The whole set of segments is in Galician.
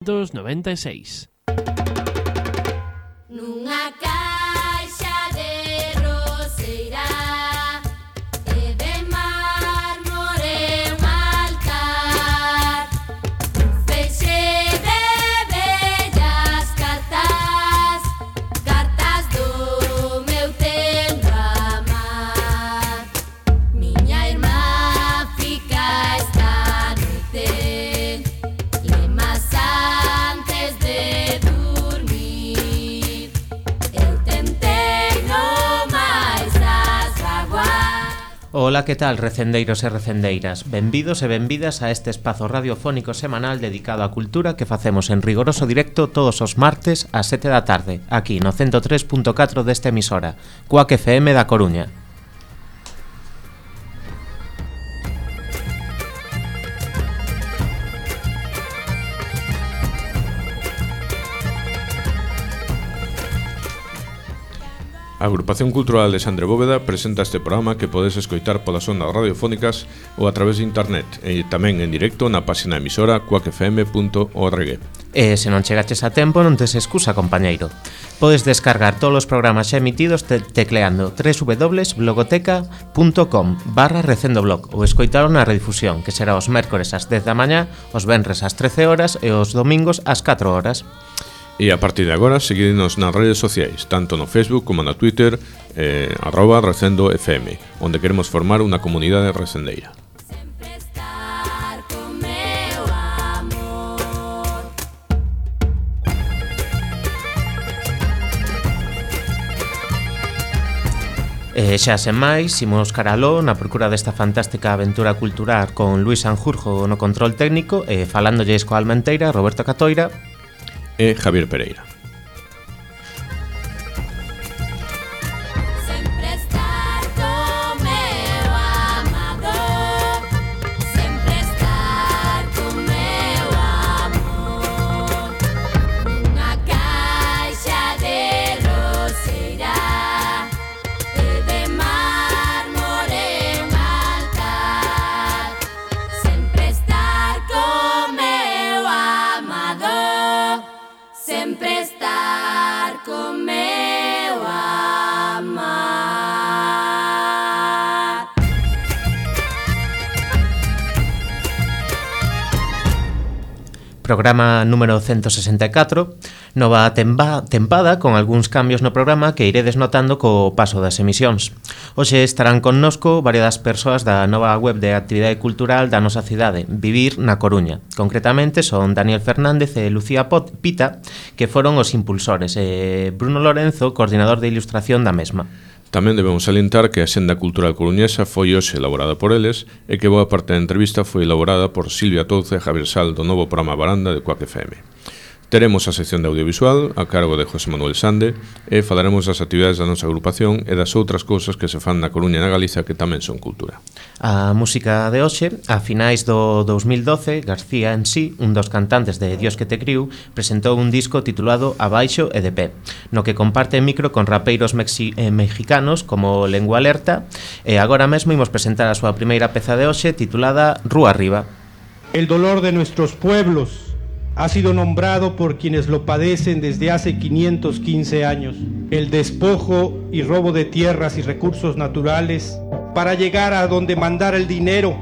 1996. Nunha caixa de roseira e de mármore un altar, un feixe de bellas cartas, cartas do meu tempo amar. Miña irmá fica esta noite lemas antes de dormir. Eu tentei no máis as vaguas. Ola, que tal, recendeiros e recendeiras? Benvidos e benvidas a este espazo radiofónico semanal dedicado á cultura que facemos en rigoroso directo todos os martes ás 7 da tarde, aquí no 103.4 desta emisora, Cuac FM da Coruña. A Agrupación Cultural de Xandre Bóveda presenta este programa que podes escoitar polas ondas radiofónicas ou a través de internet e tamén en directo na página emisora cuacfm.org. E se non chegaches a tempo non tes excusa, compañeiro. Podes descargar todos os programas xa emitidos tecleando www.blogoteca.com/recendoblog ou escoitalo na redifusión, que será os mércores ás 10 da mañá, os venres ás 13 horas e os domingos ás 4 horas. E a partir de agora, seguidnos nas redes sociais, tanto no Facebook como no Twitter, @RecendoFM, onde queremos formar unha comunidade recendeira. Sempre estar con meu amor. E xa sen máis, imos caraló na procura desta fantástica aventura cultural con Luis Sanjurjo no control técnico e falándolles coa almenteira Roberto Catoira E Javier Pereira. Sempre estar con meu amado, sempre estar con meu amor. Nunha caixa de roseira e de mármore un altar, sempre estar con meu amado, sempre estar con meu amar. Programa número 164, nova tempada con algúns cambios no programa que iredes notando co paso das emisións. Hoxe estarán connosco varias persoas da nova web de actividade cultural da nosa cidade, Vivir na Coruña. Concretamente son Daniel Fernández e Lucía Pita, que foron os impulsores, e Bruno Lorenzo, coordinador de ilustración da mesma. Tamén debemos salientar que a Xenda Cultural Coruñesa foi hoxe elaborada por eles e que boa parte da entrevista foi elaborada por Silvia Touza e Javier Sal do novo programa Baranda de Cuac FM. Teremos a sección de audiovisual a cargo de José Manuel Sande e falaremos das actividades da nosa agrupación e das outras cousas que se fan na Coruña e na Galiza que tamén son cultura. A música de hoxe, a finais do 2012, García en sí, un dos cantantes de Dios que te criou, presentou un disco titulado Abaixo e de pé, no que comparte micro con rapeiros mexicanos como Lengua Alerta, e agora mesmo imos presentar a súa primeira peza de hoxe titulada Rúa Arriba. El dolor de nuestros pueblos ha sido nombrado por quienes lo padecen desde hace 515 años. El despojo y robo de tierras y recursos naturales para llegar a donde mandara el dinero,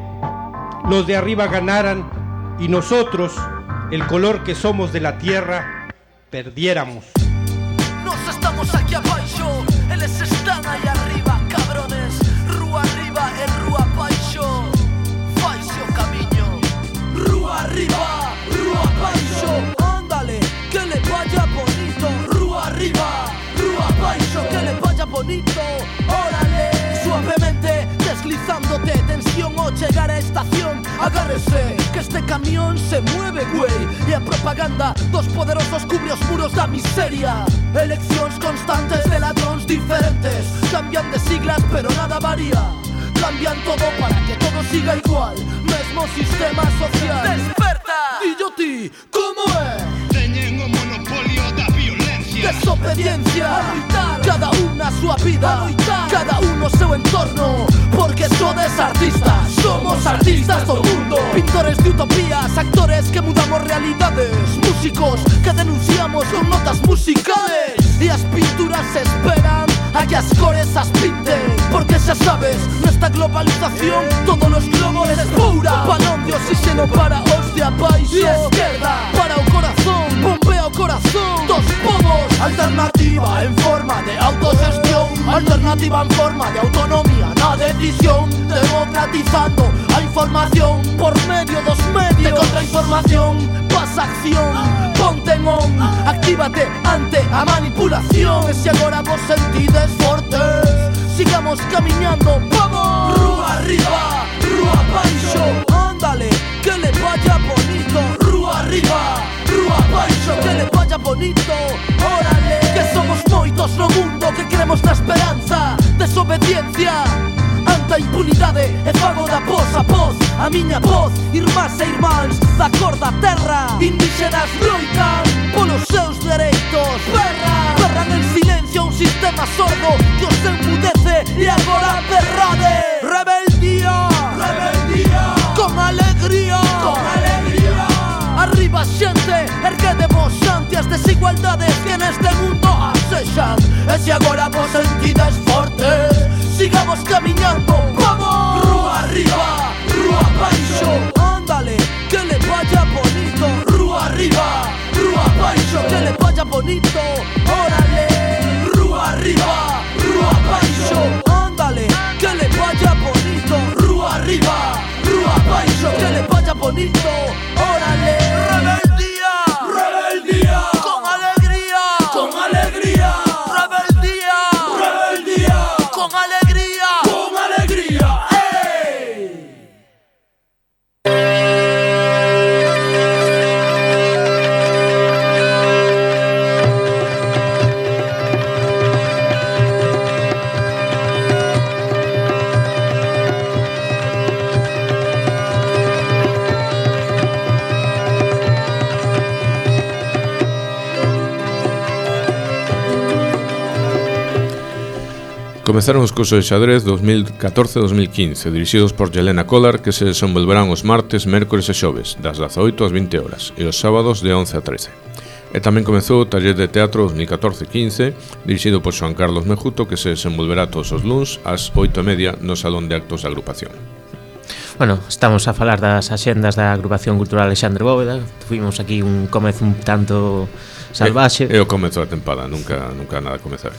los de arriba ganaran y nosotros, el color que somos de la tierra, perdiéramos. Nos estamos aquí abaixo, eles están aí arriba, cabrones. Rúa arriba e rúa abaixo, faise o camiño. Rúa arriba, rúa abaixo, ándale, que le vaya bonito. Rúa arriba, rúa abaixo, que le vaya bonito. Órale, suavemente deslizándote, tensión o llegar a estación. Agárrese, que este camión se mueve, güey. E a propaganda dos poderosos cubre os muros da miseria. Eleccións constantes de ladróns diferentes, cambian de siglas pero nada varía. Cambian todo para que todo siga igual, mesmo sistema social. Desperta, dillo ti, como é? Teñen o monopolio da violencia. desobediencia. Cada unha a súa vida, cada uno seu entorno, porque sodes artistas, somos artistas do mundo. Pintores de utopías, actores que mudamos realidades, músicos que denunciamos con notas musicales. E as pinturas esperan a que as cores as pinten, porque xa sabes, nesta globalización todos os globos espura. Balón de oxígeno para os de abaixo, e esquerda para o corazón, bombea o corazón dos povos. Alternativa en forma de autogestión, alternativa en forma de autonomía na decisión, democratizando a información por medio dos medios de contrainformación. Pasa acción, ponte en on, actívate ante a manipulación. E se agora vos sentides fortes, sigamos camiñando, vamos. Rúa arriba, rúa baixo, ándale, que le vaya bonito. Rúa arriba, rúa baixo, que le vaya bonito. Órale, que somos moitos no mundo que queremos na esperanza. Desobediencia ante a impunidade, e fago da voz a voz, a miña voz. Irmás e irmáns da cor da terra, indígenas loitan polos seus dereitos. Berran en silencio un sistema sordo que os enmudece, e agora berrade. Rebeldía, rebeldía, con alegría, con alegría. Arriba xente, erguedemos ante as desigualdades que neste mundo asexan. E se agora vos sentides fortes, sigamos camiñando, vamos. Rúa arriba, rúa baixo, ándale, que le vaya bonito. Rúa arriba, rúa baixo, que le vaya bonito. Órale, rúa arriba, rúa baixo, ándale, que le vaya bonito. Rúa arriba, rúa baixo, que le vaya bonito. Órale, rebeldía, rebeldía, con alegría, con alegría. Rebeldía, rebeldía, con alegría, con alegría. ¡Hey! Comezaron os cursos de xadrez 2014-2015, dirixidos por Yelena Collar, que se desenvolverán os martes, mércores e xoves, das 18 ás 20 horas, e os sábados de 11 a 13. E tamén comezou o taller de teatro 2014-15, dirixido por Xoan Carlos Mejuto, que se desenvolverá todos os luns ás 8:30 no Salón de Actos da agrupación. Bueno, estamos a falar das axendas da Agrupación Cultural Alexandre Bóveda. Tuvimos aquí un comezo un tanto salvaxe. É o comezo da tempada, nunca nada a comezar.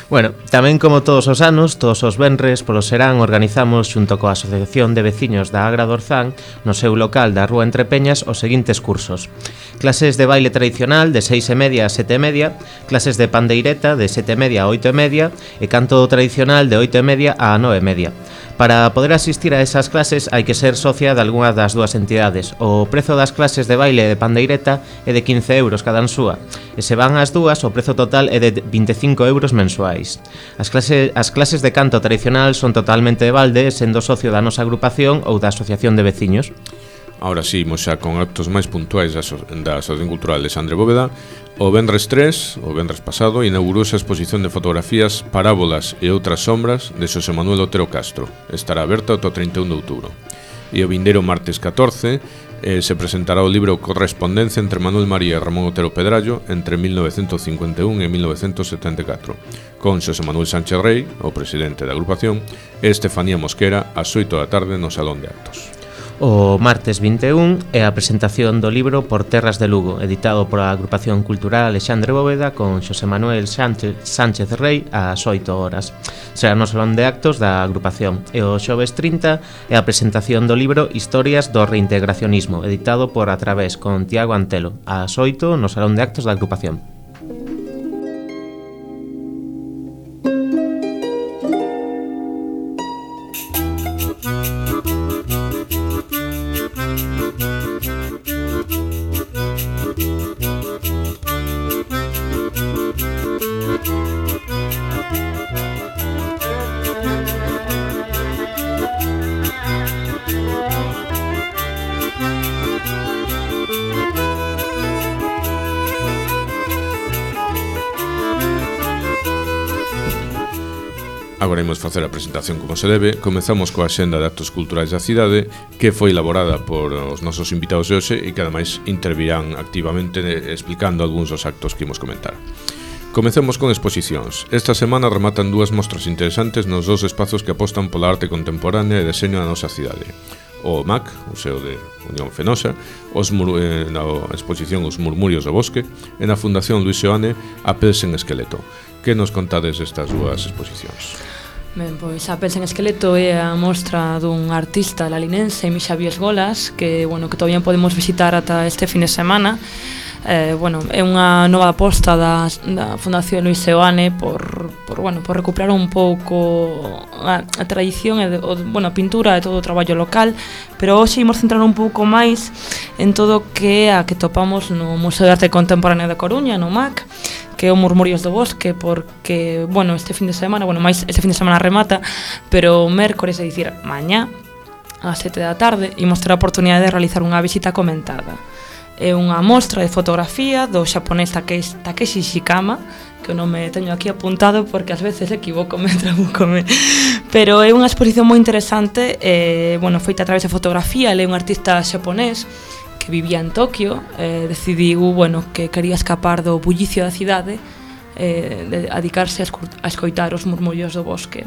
Bueno, tamén como todos os anos, todos os venres polo serán organizamos xunto coa Asociación de Veciños da Agra do Orzán no seu local da Rúa Entre Peñas os seguintes cursos: clases de baile tradicional de 6:30 a 7:30, clases de pandeireta de 7:30 a 8:30 e canto tradicional de 8:30 a 9:30. Para poder asistir a esas clases hai que ser socia de algunha das dúas entidades. O prezo das clases de baile de pandeireta é de 15 euros cada súa, e se van as dúas o prezo total é de 25 euros mensuais. As clases de canto tradicional son totalmente de balde, sendo socio da nosa agrupación ou da Asociación de Veciños. Ahora sí, imos xa con actos máis puntuais da Asociación Cultural Alexandre Bóveda. O vendres 3, o vendres pasado, inaugurouse a exposición de fotografías Parábolas e outras sombras de Xosé Manuel Otero Castro. Estará aberta ata o 31 de outubro. E o vindeiro martes 14 se presentará o libro Correspondencia entre Manuel María e Ramón Otero Pedrallo entre 1951 e 1974, con Xosé Manuel Sánchez Rey, o presidente da agrupación, e Estefanía Mosquera ás 8 da tarde no Salón de Actos. O martes 21 é a presentación do libro Por Terras de Lugo, editado por a Agrupación Cultural Alexandre Bóveda con Xosé Manuel Sánchez Rey ás 8 horas. Será no Salón de Actos da agrupación. E o xoves 30 é a presentación do libro Historias do Reintegracionismo, editado por A Través con Tiago Antelo, ás 8 no Salón de Actos da agrupación. Agora imos facer a presentación como se debe. Comezamos coa xenda de actos culturais da cidade, que foi elaborada por os nosos invitados de hoxe e que ademais intervirán activamente explicando algúns dos actos que imos comentar. Comecemos con exposicións. Esta semana rematan dúas mostras interesantes nos dos espazos que apostan pola arte contemporánea e deseño da nosa cidade. O MAC, o Museo de Unión Fenosa, na exposición Os Murmurios do Bosque, e na Fundación Luis Seoane, a Pels en Esqueleto. Que nos contades destas dúas exposicións? Ben, pois a Pels en Esqueleto é a mostra dun artista lalinense, Misha Viesgolas, que todavía podemos visitar ata este fin de semana. É unha nova aposta da Fundación Luis Seoane por recuperar un pouco a tradición e a pintura e todo o traballo local, pero hoxe imos centrar un pouco máis en todo o que topamos no Museo de Arte Contemporánea da Coruña, no MAC, que é o Murmurios do Bosque, porque, este fin de semana, este fin de semana remata, pero o mércores, é dicir, mañá, ás 7 da tarde, imos ter a oportunidade de realizar unha visita comentada. É unha mostra de fotografía do xaponés Takeshi Shikama, que o nome teño aquí apuntado porque ás veces equivocome, trabucome, pero é unha exposición moi interesante, feita a través de fotografía. Ele é un artista xaponés que vivía en Tokio, decidiu, que quería escapar do bullicio da cidade, de dedicarse a escoitar os murmurios do bosque.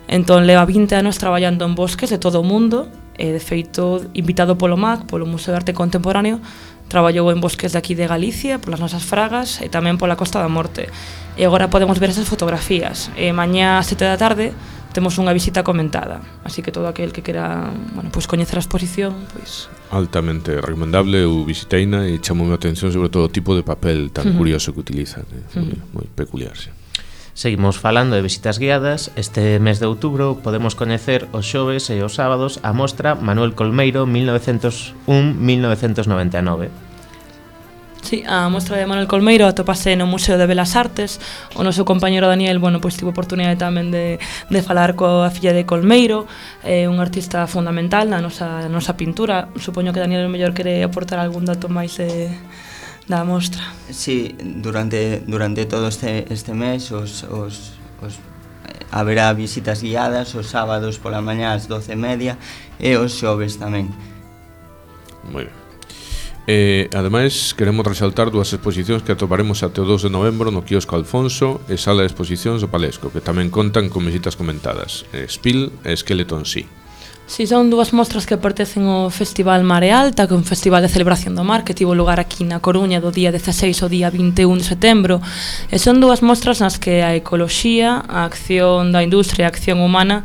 Entón, leva 20 anos traballando en bosques de todo o mundo, e, de feito, invitado polo MAC, polo Museo de Arte Contemporáneo, traballou en bosques de aquí de Galicia, polas nosas fragas, e tamén pola Costa da Morte. E agora podemos ver esas fotografías. E mañá, ás 7 da tarde, temos unha visita comentada. Así que todo aquel que quera, coñecer a exposición, altamente recomendable. Eu visiteina e chamoume a atención sobre todo o tipo de papel tan curioso que utiliza, que é moi peculiar, sí. Seguimos falando de visitas guiadas. Este mes de outubro podemos coñecer os xoves e os sábados a mostra Manuel Colmeiro 1901-1999. Sí, a mostra de Manuel Colmeiro atopase no Museo de Belas Artes. O noso compañero Daniel, tivo oportunidade tamén de falar coa filla de Colmeiro, un artista fundamental na nosa pintura. Supoño que Daniel mellor quere aportar algún dato máis da mostra. Sí, durante todo este mes haberá visitas guiadas os sábados pola mañá ás 12:30 e os xoves tamén. Moi ben. Ademais, queremos resaltar dúas exposicións que atoparemos até o 2 de novembro no quiosco Alfonso e sala de exposicións do Palesco, que tamén contan con visitas comentadas, Spill e Skeleton Sea. Si, son dúas mostras que pertencen ao Festival Mare Alta, que é un festival de celebración do mar que tivo lugar aquí na Coruña do día 16 ao día 21 de setembro, e son dúas mostras nas que a ecoloxía, a acción da industria e a acción humana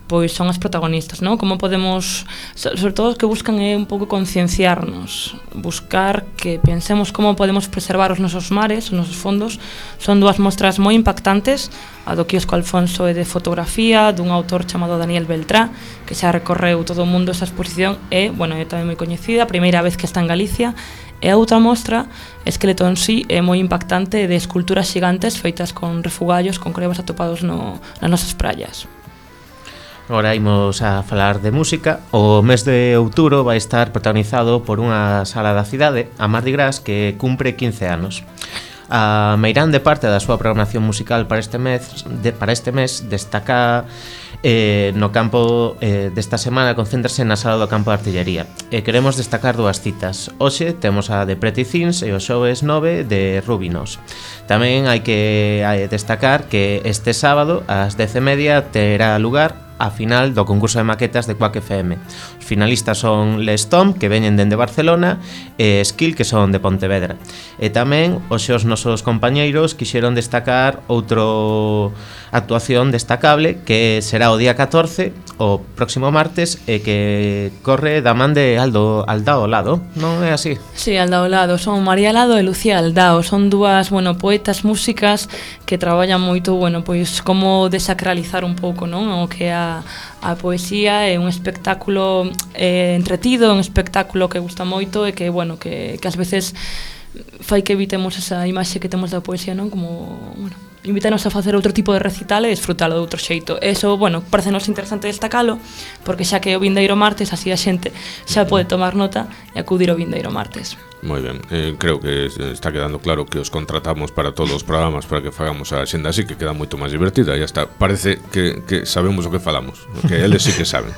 son as protagonistas, non? Como podemos, sobre todo os que buscan é un pouco concienciarnos, buscar que pensemos como podemos preservar os nosos mares, os nosos fondos. Son dúas mostras moi impactantes, a do quiosco Alfonso é de fotografía, dun autor chamado Daniel Beltrá, que xa recorreu todo o mundo esa exposición, é tamén moi coñecida, a primeira vez que está en Galicia. E a outra mostra, Skeleton Sea, é moi impactante, de esculturas xigantes feitas con refugallos, con crevas atopados nas nosas praias. Agora imos a falar de música. O mes de outubro vai estar protagonizado por unha sala da cidade, a Mardi Gras, que cumpre 15 anos. A meirande parte da súa programación musical para este mes destaca no campo desta semana, concéntrase na sala do campo de artillería. Queremos destacar dúas citas. Hoxe temos a de Pretty Things e o xoves 9 de Rubinos. Tamén hai que destacar que este sábado ás 10:30 terá lugar a final do concurso de maquetas de Quack FM. Os finalistas son Les Tom, que veñen dende Barcelona, e Skill, que son de Pontevedra. E tamén os nosos compañeiros quixeron destacar outro actuación destacable, que será o día 14, o próximo martes, e que corre da man de Aldao Lado, non é así? Sí, Aldao Lado, son María Lado e Lucía Aldao, son dúas, poetas músicas que traballan moito, como desacralizar un pouco, non? O que é a poesía é un espectáculo entretido, un espectáculo que gusta moito e que, que ás veces fai que evitemos esa imaxe que temos da poesía, non? Como, bueno, invítanos a facer outro tipo de recital e disfrutalo de outro xeito. Eso, bueno, parecenos interesante destacalo, porque xa que é o vindeiro martes, así a xente xa pode tomar nota e acudir ao vindeiro martes. Moi ben, creo que está quedando claro que os contratamos para todos os programas para que fagamos a xenda así, que queda moito máis divertida. Ya está, parece que sabemos o que falamos, que eles sí que saben.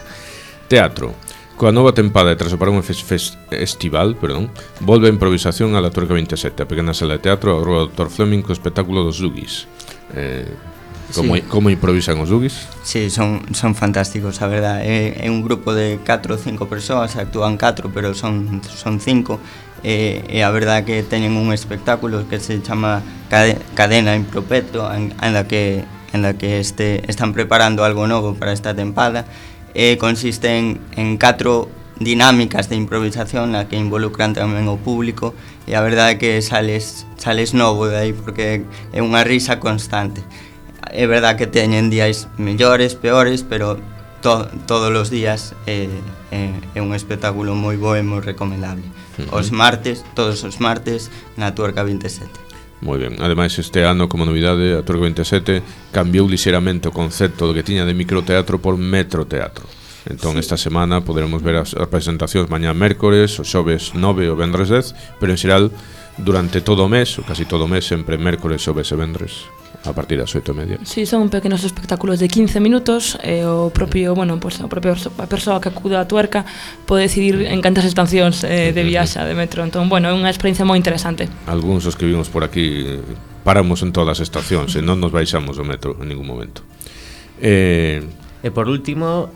Teatro. Coa nova tempada e tras o parón estival, volve a improvisación a la Tuerca 27, a pequena sala de teatro ao Rua Dr. Fleming co espectáculo dos Dugis. Como improvisan os Dugis? Sí, son fantásticos, a verdad. É un grupo de 4 ou 5 persoas, actúan 4, pero son 5. E a verdad que teñen un espectáculo que se chama Cadena Impropetro, en la que están preparando algo novo para esta tempada. Consiste en 4 dinámicas de improvisación na que involucran tamén o público, e a verdade é que sales novo de aí, porque é unha risa constante. É verdade que teñen días mellores, peores, pero todos os días é un espectáculo moi bo e moi recomendable. Todos os martes na Tuerca 27. Moi ben, ademais este ano como novidade a Tuerca 27 cambiou lixeramente o concepto do que tiña de microteatro por metroteatro. Entón esta semana poderemos ver as presentacións mañá mércores, o xoves 9 e o vendres 10, pero en xeral durante todo o mes, ou casi todo o mes, sempre mércores, xoves e vendres a partir das 8:30. Sí, son pequenos espectáculos de 15 minutos e o propio, a persoa que acuda á Tuerca pode decidir en cantas estacións de viaxa de metro. Entón, bueno, é unha experiencia moi interesante. Algúns os que vimos por aquí paramos en todas as estacións e non nos baixamos do metro en ningún momento. E por último,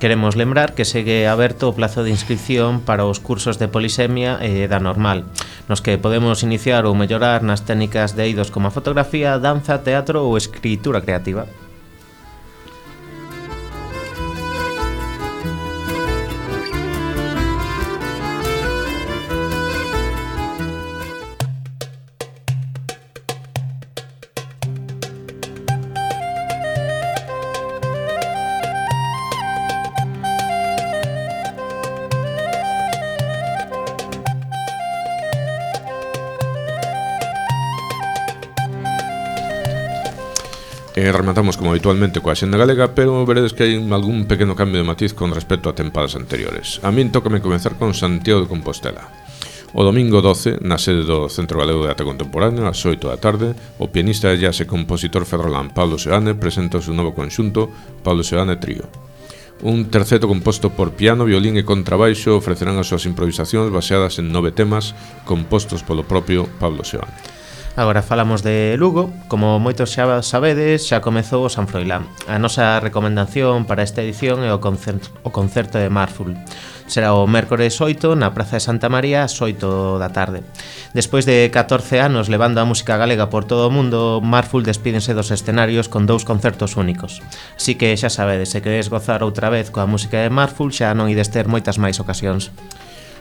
queremos lembrar que segue aberto o plazo de inscripción para os cursos de polisemia e da normal, nos que podemos iniciar ou mellorar nas técnicas de eidos como a fotografía, danza, teatro ou escritura creativa. Rematamos como habitualmente coa xenda galega, pero veredes que hai algún pequeno cambio de matiz con respecto a tempadas anteriores. A min tócame comenzar con Santiago de Compostela. O domingo 12, na sede do Centro Galego de Arte Contemporáneo, ás 8 da tarde, o pianista e jazz e compositor ferrolán Pablo Seoane presenta o seu novo conxunto Pablo Seoane Trío. Un terceto composto por piano, violín e contrabaixo ofrecerán as súas improvisacións baseadas en 9 temas compostos polo propio Pablo Seoane. Agora falamos de Lugo. Como moitos xa sabedes, xa comezou o San Froilán. A nosa recomendación para esta edición é o concerto de Marful. Será o mércores 8 na Praza de Santa María ás 8 da tarde. Despois de 14 anos levando a música galega por todo o mundo, Marful despídense dos escenarios con 2 concertos únicos. Así que xa sabedes, se queredes gozar outra vez coa música de Marful, xa non ides ter moitas máis ocasións.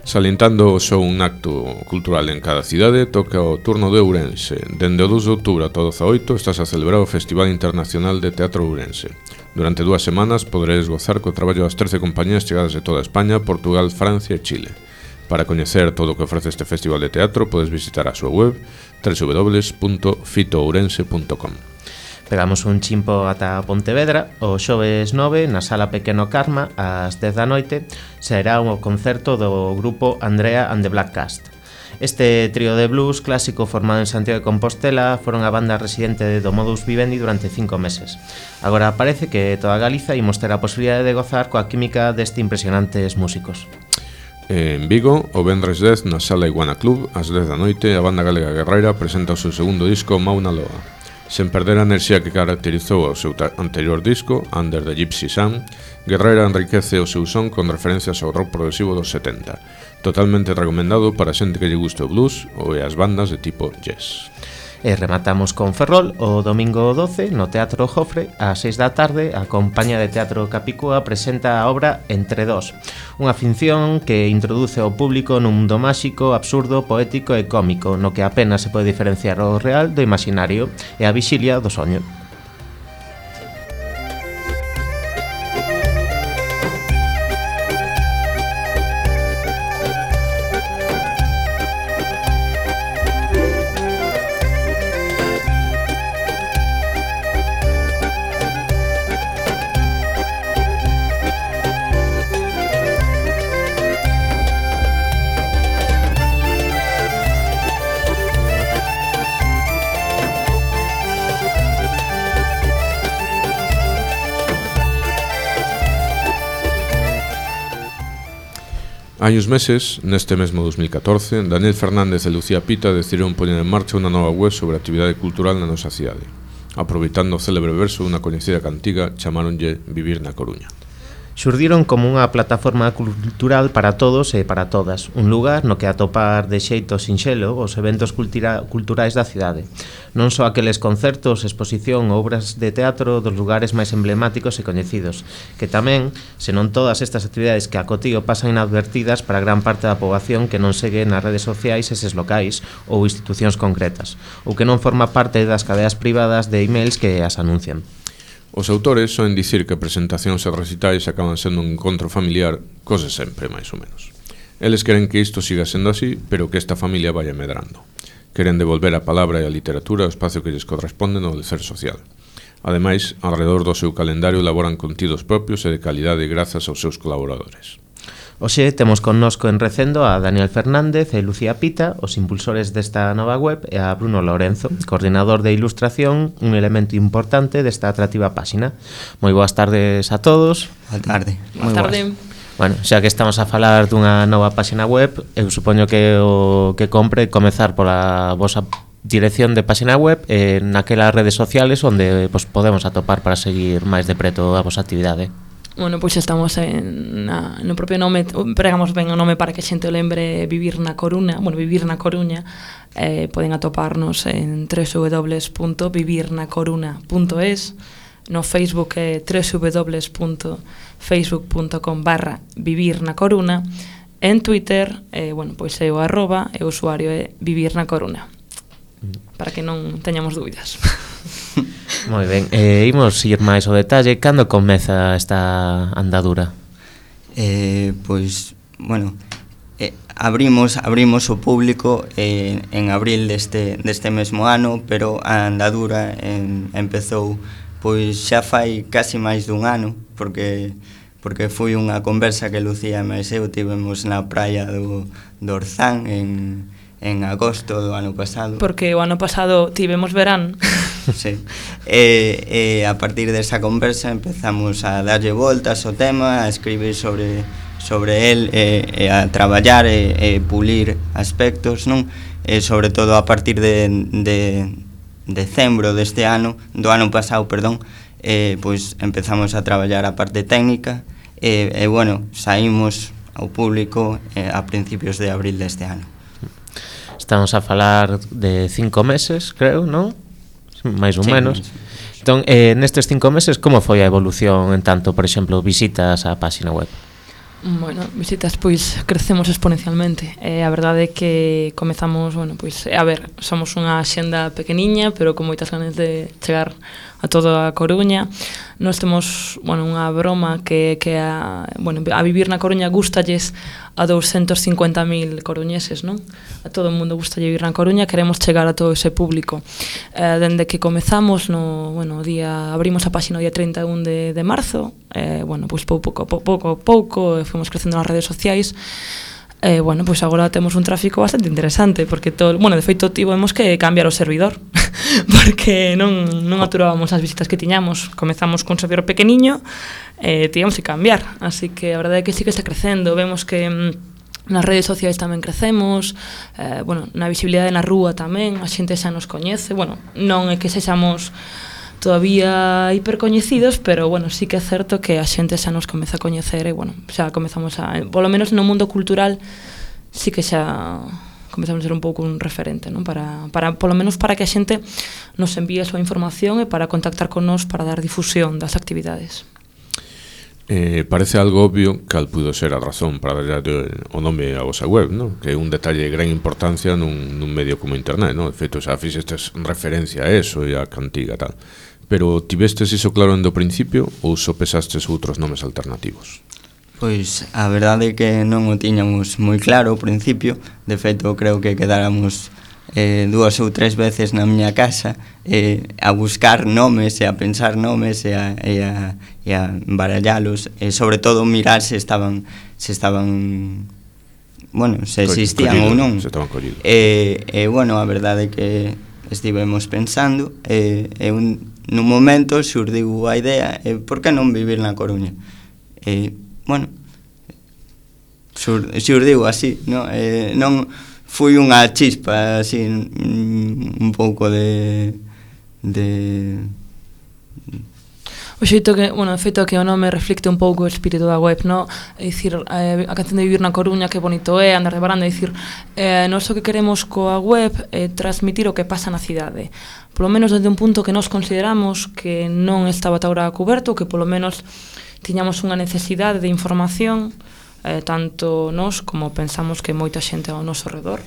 Salientando só un acto cultural en cada cidade, toca o turno de Ourense. Dende o 2 de outubro ata o 18 estás a celebrar o Festival Internacional de Teatro Ourense. Durante 2 semanas poderedes gozar co traballo das 13 compañías chegadas de toda España, Portugal, Francia e Chile. Para coñecer todo o que ofrece este festival de teatro podes visitar a súa web www.fitoourense.com. Pegamos un chimpo ata Pontevedra. O xoves 9, na Sala Pequeno Carma, ás 10 da noite, será o concerto do grupo Andrea and the Black Cast. Este trío de blues clásico formado en Santiago de Compostela foron a banda residente do Modus Vivendi durante 5 meses. Agora parece que toda Galiza imos ter a posibilidade de gozar coa química deste impresionantes músicos. En Vigo, o vendres 10, na Sala Iguana Club, ás 10 da noite, a banda galega Guerreira presenta o seu segundo disco Mauna Loa. Sen perder a enerxía que caracterizou o seu anterior disco, Under the Gypsy Sun, Guerreira enriquece o seu son con referencias ao rock progresivo dos 70. Totalmente recomendado para xente que lle guste o blues ou as bandas de tipo jazz. E rematamos con Ferrol o domingo 12 no Teatro Jofre ás 6 da tarde. A compañía de teatro Capicúa presenta a obra Entre Dos, unha ficción que introduce ao público nun mundo máxico, absurdo, poético e cómico, no que apenas se pode diferenciar o real do imaginario e a vixilia do soño. Hai uns meses, neste mesmo 2014, Daniel Fernández e Lucía Pita decidiron poñer en marcha unha nova web sobre a actividade cultural na nosa cidade. Aproveitando o célebre verso dunha coñecida cantiga, chamaronlle Vivir na Coruña. Xurdiron como unha plataforma cultural para todos e para todas, un lugar no que atopar de xeito sinxelo os eventos culturais da cidade, non só aqueles concertos, exposición ou obras de teatro dos lugares máis emblemáticos e coñecidos, que tamén, senón todas estas actividades que a cotío pasan inadvertidas para gran parte da poboación que non segue nas redes sociais eses locais ou institucións concretas, ou que non forma parte das cadeas privadas de emails que as anuncian. Os autores soen dicir que presentacións e recitais acaban sendo un encontro familiar, cose sempre, máis ou menos. Eles queren que isto siga sendo así, pero que esta familia vaya medrando. Queren devolver a palabra e a literatura ao espacio que lles corresponde no decer social. Ademais, alrededor do seu calendario elaboran contidos propios e de calidade grazas aos seus colaboradores. Hoxe temos connosco en Recendo a Daniel Fernández e Lucía Pita, os impulsores desta nova web, e a Bruno Lorenzo, coordinador de ilustración, un elemento importante desta atractiva páxina. Moi boas tardes a todos. Boa tarde. Boa tarde. Bueno, xa que estamos a falar dunha nova páxina web, eu supoño que o que compre comezar pola vosa dirección de páxina web naquelas redes sociales onde podemos atopar para seguir máis de preto a vosa actividade. Bueno, pois estamos no propio nome, pregamos ben o nome para que a xente o lembre, Vivir na Coruña. Poden atoparnos en www.vivirnacoruna.es, no Facebook é www.facebook.com/vivirnacoruna, en Twitter, pois é o @ e o usuario é Vivir na Coruña, para que non teñamos dúbidas. Moi ben, imos ir máis ao detalle. Cando comeza esta andadura? Abrimos o público en abril deste mesmo ano, pero a andadura empezou pois xa fai casi máis dun ano, porque foi unha conversa que Lucía e máis eu tivemos na praia do Orzán en agosto do ano pasado. Porque o ano pasado tivemos verán. Sí. E a partir desa conversa empezamos a darlle voltas ao tema, a escribir sobre el e a traballar e pulir aspectos, non? E sobre todo a partir de decembro deste ano, do ano pasado, perdón, pois empezamos a traballar a parte técnica e saímos ao público a principios de abril deste ano. Estamos a falar de 5 meses, creo, non? Máis ou menos. Entón, nestes 5 meses, como foi a evolución en tanto, por exemplo, visitas á páxina web? Bueno, visitas, pois, crecemos exponencialmente. A verdade é que comezamos, somos unha xenda pequeniña, pero con moitas ganas de chegar a toda a Coruña. Nós temos, unha broma que a Vivir na Coruña gustalles a 250.000 coruñeses, non? A todo o mundo gusta vivir na Coruña, queremos chegar a todo ese público. Dende que comezamos abrimos a páxina o día 31 de marzo, pois pouco a pouco fomos crecendo nas redes sociais. Pois agora temos un tráfico bastante interesante, porque de feito tivemos que cambiar o servidor porque non aturábamos as visitas que tiñamos. Comezamos con un servidor pequeniño e tivemos que cambiar, así que a verdade é que sí que está crecendo. Vemos que nas redes sociais tamén crecemos, na visibilidade na rúa tamén, a xente xa nos coñece, non é que sexamos todavía hipercoñecidos, pero sí que é certo que a xente xa nos comeza a coñecer e xa comezamos polo menos no mundo cultural sí que xa comezamos a ser un pouco un referente, non? Para polo menos para que a xente nos envíe a súa información e para contactar con nós para dar difusión das actividades. Parece algo obvio cal puido ser a razón para darlle o nome a vosa web, non? Que é un detalle de gran importancia nun medio como internet, non? De feito, xa fixestes referencia a eso e a cantiga tal. Pero tivestes iso claro do principio ou só pesastes outros nomes alternativos? Pois a verdade é que non o tiñamos moi claro ao principio. De feito, creo que quedáramos 2 ou 3 veces na miña casa a buscar nomes e a pensar nomes e a barallalos e sobre todo mirar se estaban se existían ou non. Se estaban collidos. A verdade é que estivemos pensando nun momento xurdiu a idea por que non vivir na Coruña? xurdiu así, non? Non foi unha chispa así un pouco de O xeito que, bueno, de feito que o nome reflicte un pouco o espírito da web, no? É dicir, a canción de Vivir na Coruña, que bonito é, andar de baranda, é dicir, nós o que queremos coa web é transmitir o que pasa na cidade. Polo menos desde un punto que nós consideramos que non estaba ata agora coberto, que polo menos tiñamos unha necesidade de información, tanto nós como pensamos que moita xente ao noso redor.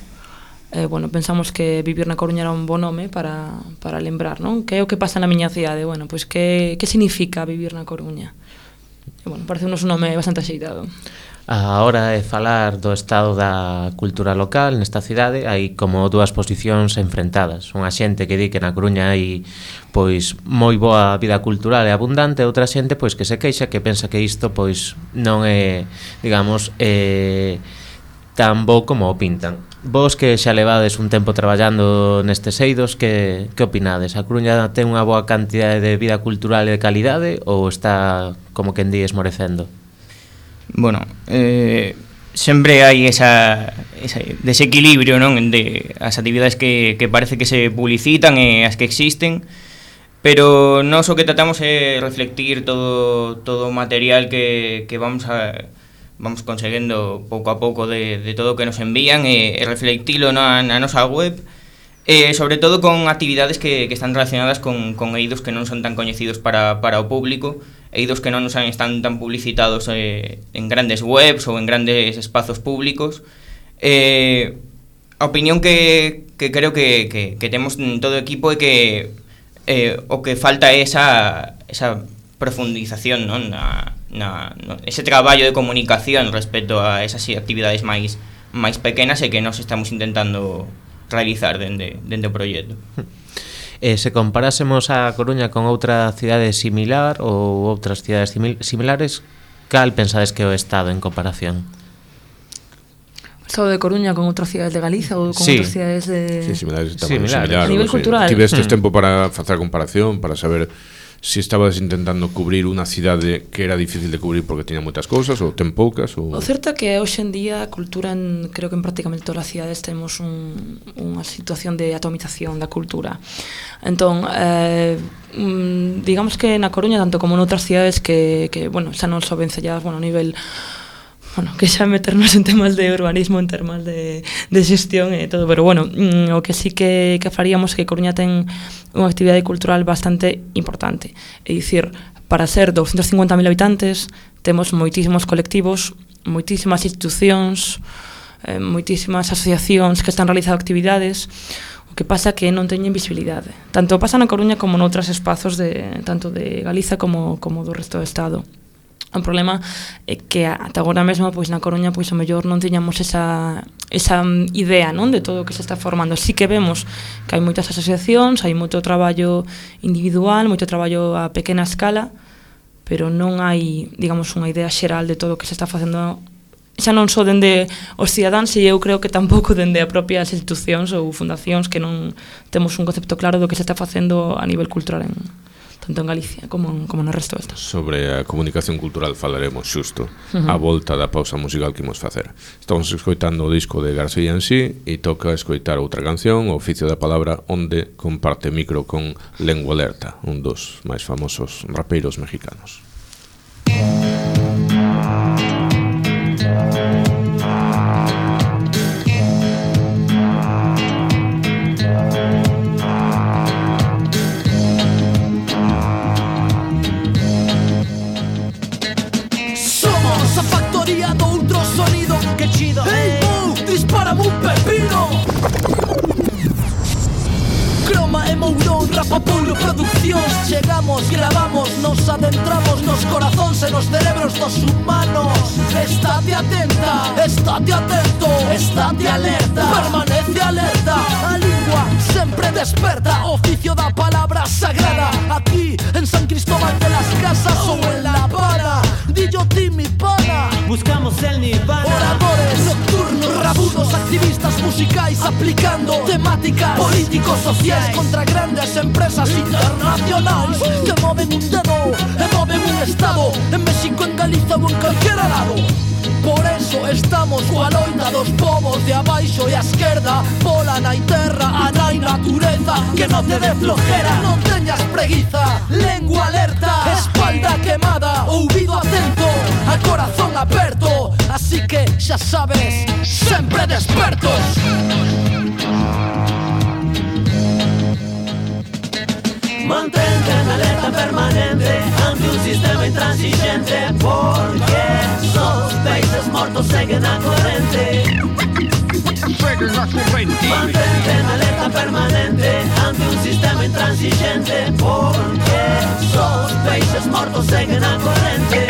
Bueno, pensamos que Vivir na Coruña era un bon nome para lembrar, non? Que é o que pasa na miña cidade? Bueno, pois que significa vivir na Coruña? E, bueno, parece-nos un nome bastante axeitado. A hora de falar do estado da cultura local nesta cidade hai como dúas posicións enfrentadas. Unha xente que di que na Coruña hai pois moi boa vida cultural e abundante, outra xente pois que se queixa, que pensa que isto pois non é, digamos, tan bo como o pintan. Vos que xa levades un tempo traballando nestes eidos, que opinades? A Coruña ten unha boa cantidade de vida cultural e de calidade ou está, como quen di, esmorecendo? Bueno, sempre hai ese desequilibrio, non? De as actividades que parece que se publicitan e as que existen, pero nós o que tratamos é reflectir todo o material que vamos conseguendo pouco a pouco de todo o que nos envían e reflectilo na nosa web, sobre todo con actividades que están relacionadas con eidos que non son tan coñecidos para o público, eidos que non están tan publicitados en grandes webs ou en grandes espazos públicos. A opinión que creo que temos en todo o equipo é que o que falta é esa profundización, non? Ese traballo de comunicación respecto a esas actividades máis pequenas e que nós estamos intentando realizar dende o proxecto. Se comparásemos a Coruña con outra cidade similar ou outras cidades similares, cal pensades que é o estado en comparación? O estado de Coruña con outras cidades de Galiza ou con outras cidades de... Sí, similares. A nivel cultural. Tivestes tempo para facer a comparación, para saber si estabas intentando cubrir unha cidade que era difícil de cubrir porque tiña moitas cousas ou ten poucas ou... O certo é que hoxe en día a cultura creo que en prácticamente todas as cidades temos unha situación de atomización da cultura. Entón, digamos que na Coruña tanto como noutras cidades que bueno, xa non son vencelladas, bueno, a nivel... Bueno, que xa meternos en temas de urbanismo, en temas de xestión e todo, pero bueno, o que sí que faríamos é que Coruña ten unha actividade cultural bastante importante. É dicir, para ser 250.000 habitantes, temos moitísimos colectivos, moitísimas institucións, moitísimas asociacións que están realizando actividades, o que pasa que non teñen visibilidade. Tanto pasa na Coruña como noutros espazos tanto de Galiza como do resto do Estado. O problema é que ata agora mesmo pois na Coruña pois o mellor non tiñamos esa idea, non, de todo o que se está formando. Sí que vemos que hai moitas asociacións, hai moito traballo individual, moito traballo a pequena escala, pero non hai, digamos, unha idea xeral de todo o que se está facendo, xa non só dende os cidadáns, e eu creo que tampouco dende a propias institucións ou fundacións, que non temos un concepto claro do que se está facendo a nivel cultural tanto en Galicia como no resto do Estado. Sobre a comunicación cultural falaremos xusto a volta da pausa musical que imos facer. Estamos escoitando o disco de García en sí e toca escoitar outra canción, O oficio da palabra, onde comparte micro con Lengua Alerta, un dos máis famosos rapeiros mexicanos. Dispárame un pepino. Croma e Mourón, Rapapoulo Produccións. Chegamos, gravamos, nos adentramos nos corazóns e nos cerebros dos humanos. Estate atenta, estate atento, estate alerta, permanece alerta. A lingua sempre desperta, oficio da palabra sagrada. Aquí en San Cristóbal de las Casas ou en La Habana, dillo ti mi pana. Buscamos el nirvana. Oradores nocturnos, rabudos, activistas musicais aplicando temáticas políticos sociais contra grandes empresas internacionais que moven un dedo e moven un estado, en México, en Galiza ou en calquera lado. Por eso estamos coa loita dos povos de abaixo e a esquerda. Bola na terra, a nai natureza, que non te dé flojera, non teñas preguiza. Lengua alerta, espalda quemada, ouvido atento, a corazón aperto. Así que xa sabes, sempre despertos. Mantente en alerta permanente ante un sistema intransigente, porque sos países mortos seguen a corrente. Mantente en alerta permanente ante un sistema intransigente, porque sos países mortos seguen a corrente.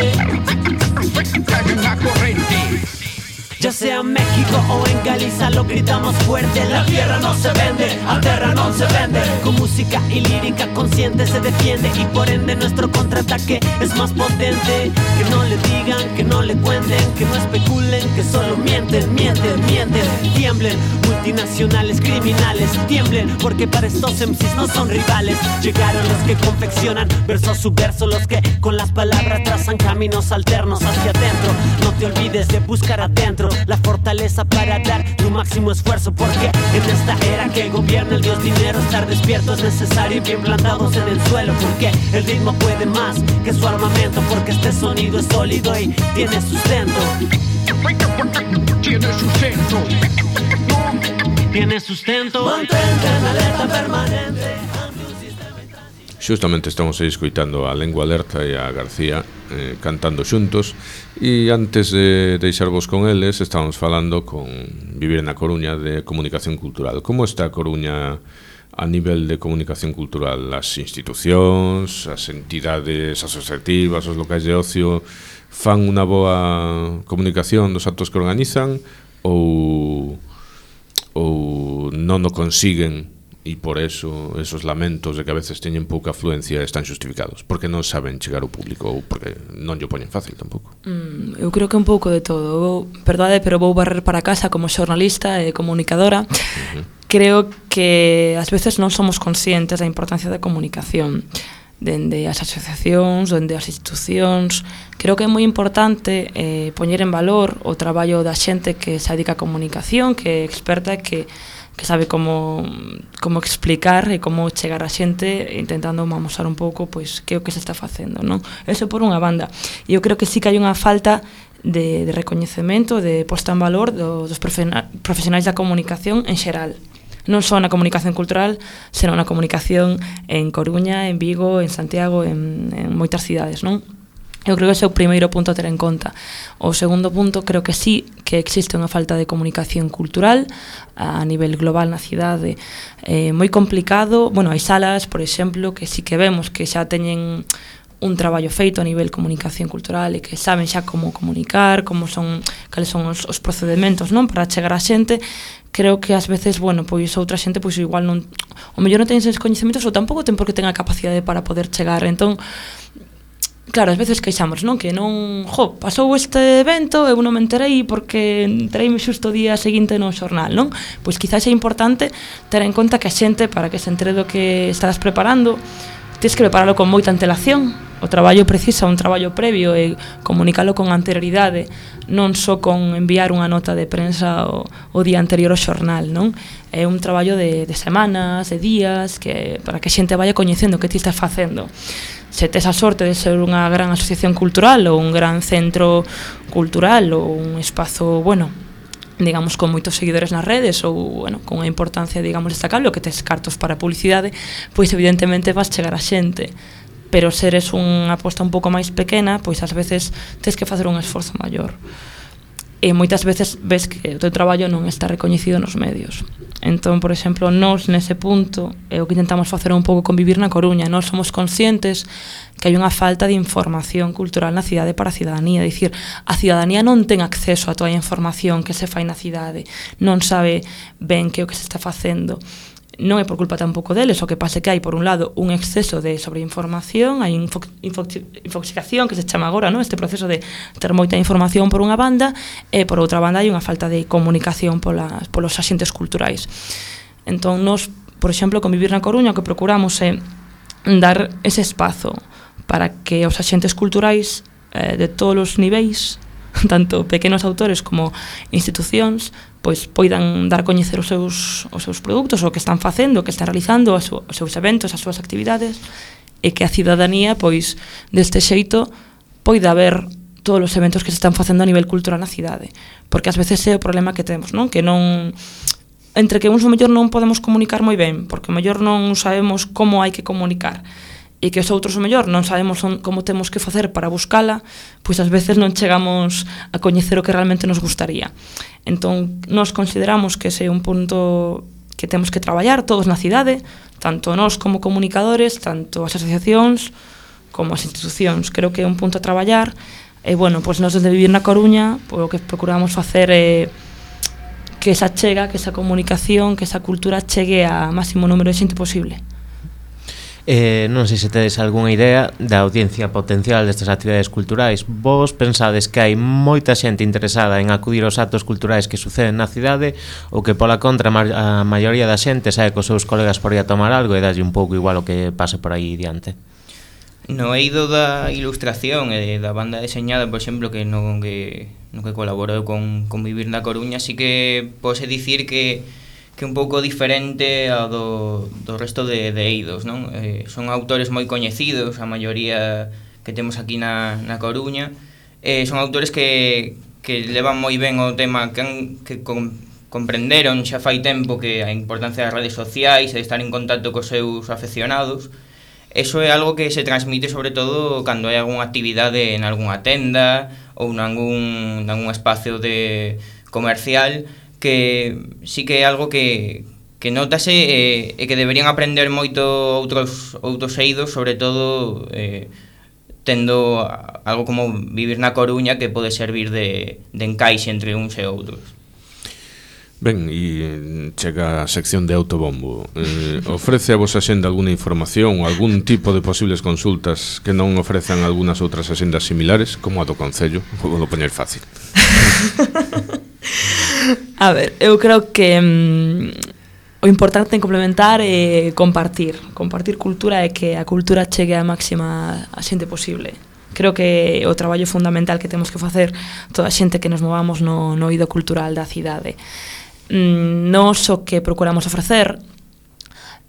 Ya sea en México o en Galicia lo gritamos fuerte. La tierra no se vende, a terra no se vende. Con música y lírica consciente se defiende, y por ende nuestro contraataque es más potente. Que no le digan, que no le cuenten, que no especulen, que solo mienten, mienten, mienten. Tiemblen, multinacionales, criminales, tiemblen, porque para estos MCs no son rivales. Llegaron los que confeccionan verso a su verso, los que con las palabras trazan caminos alternos hacia adentro. No te olvides de buscar adentro la fortaleza para dar tu máximo esfuerzo, porque en esta era que gobierna el dios dinero, estar despierto es necesario y bien plantados en el suelo, porque el ritmo puede más que su armamento, porque este sonido es sólido y tiene sustento. Tiene sustento. Tiene sustento. Mantente en alerta permanente. Xustamente estamos aí escoitando a Lengua Alerta e a García cantando xuntos, e antes de deixarvos con eles estábamos falando con Vivir na Coruña de comunicación cultural. Como está a Coruña a nivel de comunicación cultural? As institucións, as entidades asociativas, os locais de ocio fan unha boa comunicación dos actos que organizan ou non o consiguen? E por eso esos lamentos de que a veces teñen pouca afluencia están justificados, porque non saben chegar ao público ou porque non lle poñen fácil tampouco. Eu creo que un pouco de todo. Verdade, pero vou barrer para casa como xornalista e comunicadora. Creo que ás veces non somos conscientes da importancia da comunicación dende as asociacións, dende as institucións. Creo que é moi importante poñer en valor o traballo da xente que se dedica a comunicación, que é experta e que sabe como explicar e como chegar a xente, intentando amosar un pouco pois que é o que se está facendo, non? Eso por unha banda. E eu creo que sí que hai unha falta de recoñecemento, de posta en valor dos profesionais da comunicación en xeral. Non só na comunicación cultural, senón na comunicación en Coruña, en Vigo, en Santiago, en moitas cidades, non? Eu creo que ese é o primeiro punto a ter en conta. O segundo punto, creo que sí que existe unha falta de comunicación cultural a nivel global na cidade, moi complicado. Bueno, hai salas, por exemplo, que sí que vemos que xa teñen un traballo feito a nivel comunicación cultural e que saben xa como comunicar, cales son os procedementos, non, para chegar a xente. Creo que ás veces, bueno, pois outra xente pois igual non, o mellor non ten eses coñecementos ou tampouco ten por que ten a capacidade para poder chegar. Entón, claro, ás veces queixamos, non? Que non, pasou este evento, eu non me enterei porque entereime xusto o día seguinte no xornal, non? Pois quizás é importante ter en conta que a xente, para que se entere do que estás preparando, tens que preparalo con moita antelación. O traballo precisa un traballo previo e comunicalo con anterioridade, non só con enviar unha nota de prensa o día anterior ao xornal, non? É un traballo de semanas, de días, que para que a xente vaya coñecendo o que ti estás facendo. Se tes a sorte de ser unha gran asociación cultural ou un gran centro cultural ou un espazo, bueno, digamos, con moitos seguidores nas redes ou, bueno, con unha importancia, digamos, destacable, o que tes cartos para publicidade, pois evidentemente vas chegar a xente. Pero se eres unha aposta un pouco máis pequena, pois ás veces tes que facer un esforzo maior. E moitas veces ves que o teu traballo non está recoñecido nos medios. Entón, por exemplo, nós nese punto é o que intentamos facer un pouco con Vivir na Coruña. Nós somos conscientes que hai unha falta de información cultural na cidade para a cidadanía. É dicir, a cidadanía non ten acceso a toda a información que se fai na cidade, non sabe ben que é o que se está facendo. Non é por culpa tampouco deles, o que pasa é que hai, por un lado, un exceso de sobreinformación, hai infoxicación, que se chama agora, non? Este proceso de ter moita información por unha banda, e por outra banda hai unha falta de comunicación polos axentes culturais. Entón, nós, por exemplo, con Vivir na Coruña, o que procuramos é dar ese espazo para que os axentes culturais de todos os niveis tanto pequenos autores como institucións pois poidan dar a coñecer os seus produtos, o que están facendo, o que están realizando, os seus eventos, as súas actividades, e que a cidadanía pois deste xeito poida ver todos os eventos que se están facendo a nivel cultural na cidade, porque ás veces é o problema que temos, non? Que non entre que uns o mellor non podemos comunicar moi ben, porque o mellor non sabemos como hai que comunicar, e que os outros o mellor non sabemos como temos que facer para buscala, pois ás veces non chegamos a coñecer o que realmente nos gustaría. Entón, nós consideramos que ese é un punto que temos que traballar todos na cidade, tanto nós como comunicadores, tanto as asociacións como as institucións. Creo que é un punto a traballar, e, bueno, pois nós desde Vivir na Coruña, pois o que procuramos facer é que esa chega, que esa comunicación, que esa cultura chegue a máximo número de xente posible. Non sei se tedes algunha idea da audiencia potencial destas actividades culturais. Vos pensades que hai moita xente interesada en acudir aos actos culturais que suceden na cidade, ou que pola contra a maioría da xente sae cos seus colegas por aí a tomar algo e dalle un pouco igual o que pase por aí diante? No eido da ilustración e da banda deseñada, por exemplo, que no que colaborou con Vivir na Coruña, sí que pode dicir que un pouco diferente ao do resto de eidos, non? Son autores moi coñecidos, a maioría que temos aquí na Coruña, son autores que levan moi ben o tema, que comprenderon xa fai tempo que a importancia das redes sociais e de estar en contacto cos seus afeccionados. Eso é algo que se transmite sobre todo cando hai algunha actividade en algunha tenda ou nalgún espacio comercial, que sí que é algo que notase e que deberían aprender moito outros eidos, sobre todo tendo algo como Vivir na Coruña, que pode servir de encaixe entre uns e outros. Ben, e chega a sección de autobombo. Ofrece a vosa xenda alguna información ou algún tipo de posibles consultas que non ofrezan algunhas outras axendas similares, como a do Concello? Vou poñer fácil. A ver, eu creo que o importante en complementar é compartir cultura e que a cultura chegue a máxima a xente posible. Creo que o traballo fundamental que temos que facer toda a xente que nos movamos no eido cultural da cidade. Nos o que procuramos ofrecer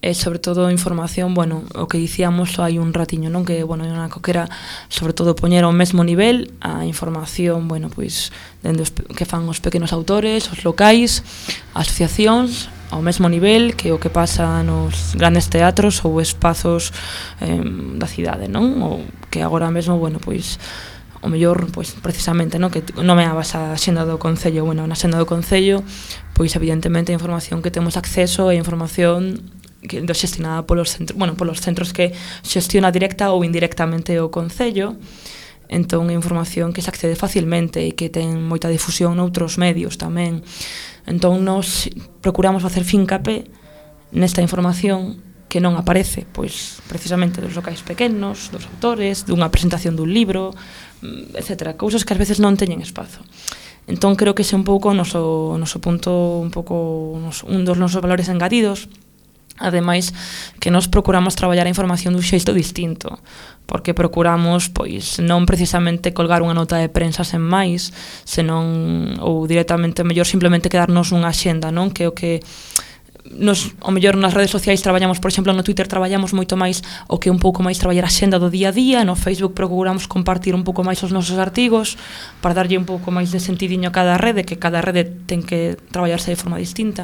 é sobre todo información, bueno, o que dicíamos hai un ratiño, non? Que, bueno, é unha coquera sobre todo poñer ao mesmo nivel a información, bueno, pois dende que fan os pequenos autores, os locais, asociacións, ao mesmo nivel que o que pasa nos grandes teatros ou espazos da cidade, non? Ou que agora mesmo, bueno, pois o mellor, pois precisamente, non, que nomeabas a xenda do Concello, bueno, na xenda do Concello, pois evidentemente a información que temos acceso é información que xestionada polos centros que xestiona directa ou indirectamente o Concello. Entón é información que se accede facilmente e que ten moita difusión noutros medios tamén. Entón nos procuramos facer fincapé nesta información que non aparece, pois precisamente dos locais pequenos, dos autores, dunha presentación dun libro, etcétera, cousas que ás veces non teñen espazo. Entón creo que ese é un pouco o noso punto, un dos nosos valores engadidos. Ademais, que nos procuramos traballar a información dun xeito distinto, porque procuramos, pois, non precisamente colgar unha nota de prensa sen máis, senón, ou directamente, mellor simplemente quedarnos nunha axenda, non? Que o que o mellor nas redes sociais traballamos, por exemplo, no Twitter traballamos moito máis o que un pouco máis traballar a xenda do día a día, no Facebook procuramos compartir un pouco máis os nosos artigos para darlle un pouco máis de sentidiño a cada rede, que cada rede ten que traballarse de forma distinta.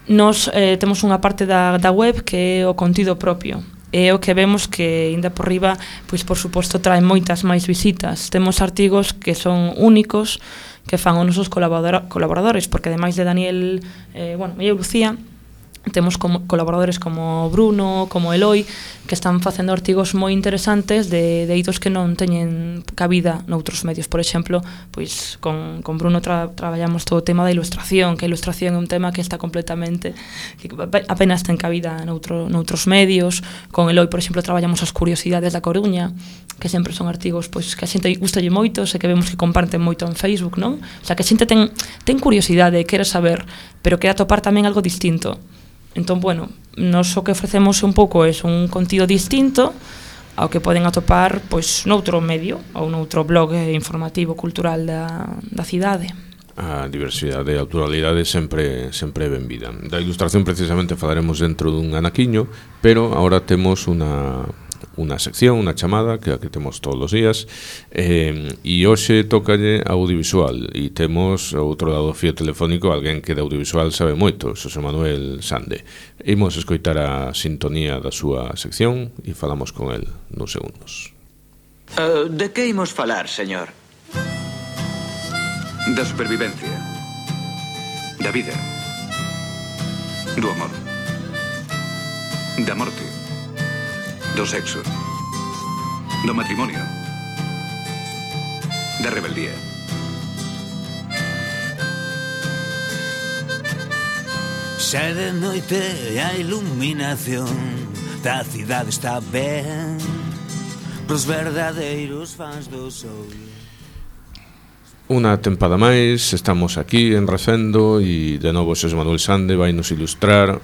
Nos temos unha parte da web que é o contido propio, e o que vemos que, ainda por riba, pois por suposto trae moitas máis visitas. Temos artigos que son únicos, que fan os nosos colaboradores, porque ademais de Daniel, e eu Lucía, temos colaboradores como Bruno, como Eloi, que están facendo artigos moi interesantes de eidos que non teñen cabida noutros medios. Por exemplo, pois con Bruno traballamos todo o tema da ilustración, que a ilustración é un tema que está completamente, que apenas ten cabida noutros medios. Con Eloi, por exemplo, traballamos as curiosidades da Coruña, que sempre son artigos pois que a xente gustalle moito, e que vemos que comparten moito en Facebook, non? O sea, que a xente ten curiosidade, quere saber, pero quere atopar tamén algo distinto. Entón, bueno, nos o que ofrecemos un pouco é un contido distinto, ao que poden atopar pois noutro medio ou noutro blog informativo cultural da cidade. A diversidade e a pluralidade sempre é benvida. Da ilustración precisamente falaremos dentro dun anaquiño, pero agora temos unha sección, unha chamada que temos todos os días, e hoxe tócalle audiovisual, e temos ao outro lado do fío telefónico alguén que de audiovisual sabe moito, Xosé Manuel Sande. Imos escoitar a sintonía da súa sección e falamos con el nos segundos. De que imos falar, señor? Da supervivencia, da vida, do amor, da morte, do sexo, do matrimonio, da rebeldía. Xa de noite a iluminación da cidade está ben pros verdadeiros fans do sol. Unha tempada máis, estamos aquí en Recendo e de novo Xosé Manuel Sande vai nos ilustrar,